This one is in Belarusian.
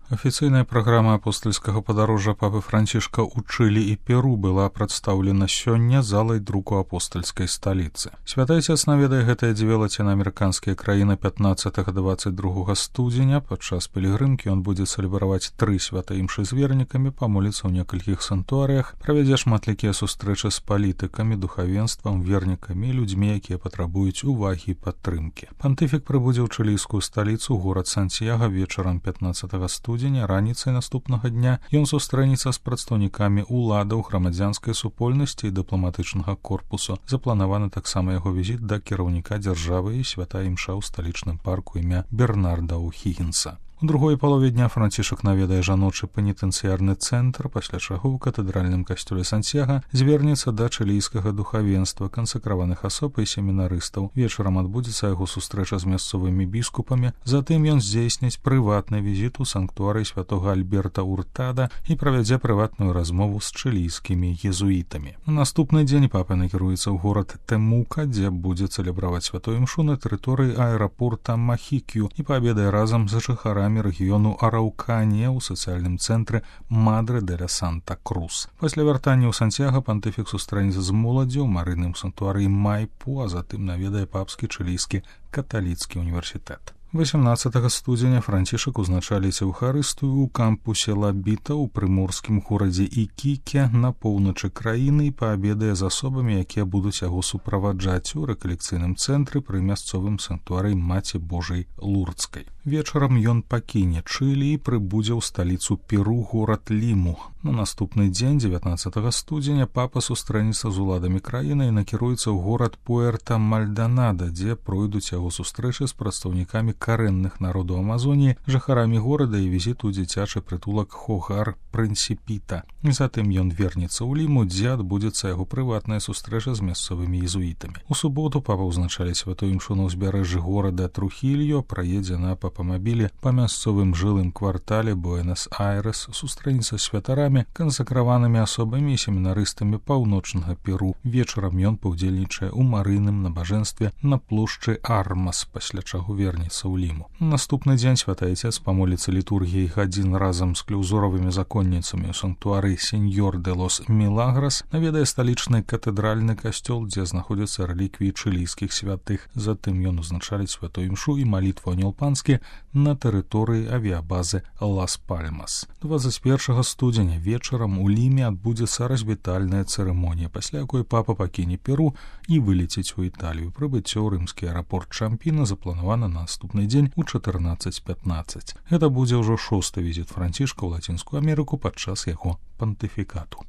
Афіцыйная праграма апостальскага падарожжа папы Францішка ў Чылі і Перу была прадстаўлена сёння залай друку апостальскай сталіцы. Святы Отец наведае гэтыя дзве лацінаамерыканскія краіны 15-22 студзеня. Падчас пілігрымкі ён будзе цэлебраваць 3 святаімшы з вернікамі, памоліцца ў некалькіх санктуарыях, правядзе шматлікія сустрэчы з палітыкамі, духавенствам, вернікамі і людзьмі, якія патрабуюць увагі і падтрымкі. Пантыфік прыбудзе ў чылійскую сталіцу, горад Сантьяга, вечарам 15 студзеня. Раніцай наступнага дня ён сустрэнецца з прадстаўнікамі ўладаў, грамадзянскай супольнасці і дыпламатычнага корпусу. Запланаваны таксама яго візіт да кіраўніка дзяржавы і святая імша ў сталічным парку імя Бернарда О'Хіггінса. У другой палове дня Францішак наведае жаночы пенітэнцыярны цэнтр, пасля чаго ў катэдральным касцёле Сантьяга звернецца да чылійскага духавенства, кансакраваных асоб і семінарыстаў. Вечарам адбудзецца яго сустрэча з мясцовымі біскупамі, затым ён здзейсніць прыватны візіт у санктуарый святога Альберта Уртада і правядзе прыватную размову з чылійскімі езуітамі. На наступны дзень папа накіруецца ў горад Темука, дзе будзе цэлебраваць святую імшу на тэрыторыі аэрапорта Махікю і паабедае разам з жыхарамі рэгіёну Арауканія ў сацыяльным цэнтры Мадре де ля Санта-Крус. Пасля вяртання ў Сантьяга пантыфік сустрэнецца з моладдзю ў марыным санктуарыі Майпу, а затым наведае папскі чылійскі каталіцкі універсітэт. 18 студзеня Францішак узначаліць эўхарыстыю ў кампусе Лабіта ў прыморскім горадзе Ікіке на поўначы краіны і паабедае з асобамі, якія будуць яго суправаджаць у рэкалекцыйным цэнтры пры мясцовым санктуарыі Маці Божай Лурдскай. Вечарам ён пакіне Чылі і прыбудзе ў сталіцу Перу, горад Ліму. На наступны дзень, 19 студзеня, папа сустрэнецца з уладамі краіны і накіруецца ў горад Пуэрта-Мальданада, дзе пройдуць яго сустрэчы з прадстаўнікамі карэнных народаў Амазоніі, жыхарамі горада і візіт у дзіцячы прытулак Хогар-Прынсіпіта. Затым ён вернецца ў Ліму, дзе адбудзецца яго прыватная сустрэча з мясцовымі езуітамі. У суботу папа ўзначаліць святую імшу на ўзбярэжжы горада Трухільо, праедзе на папамабілі па мясцовым жылым квартале Буэнас-Айрэс, сустрэнецца з святарамі, кансакраванымі асобамі і семінарыстамі паўночнага Перу. Вечарам ён паўдзельнічае ў марыйным набажэнстве на плошчы Армас, пасля чаго вернецца ў Ліму. Наступны дзень святы Отец памоліцца літургіяй гадзін разам з клеўзоравымі законніцамі ў санктуары Сеньор де лос Мілаграс, наведае сталічны катэдральны касцёл, дзе знаходзяцца рэліквіі чылійскіх святых. Затым ён узначаліць святую імшу і малітву ангел-панскі на тэрыторыі авіябазы Лас-Пальмас. 21 студзеня вечарам у Ліме адбудзецца развітальная цырымонія, пасля якой папа пакіне Перу і вылеціць у Італію. Прыбыццё ў рымскі аэрапорт Чампіна запланавана на наступны дзень у 14:15. Гэта будзе ўжо 6-й візіт Францішка ў Лацінскую Амерыку падчас яго пантыфікату.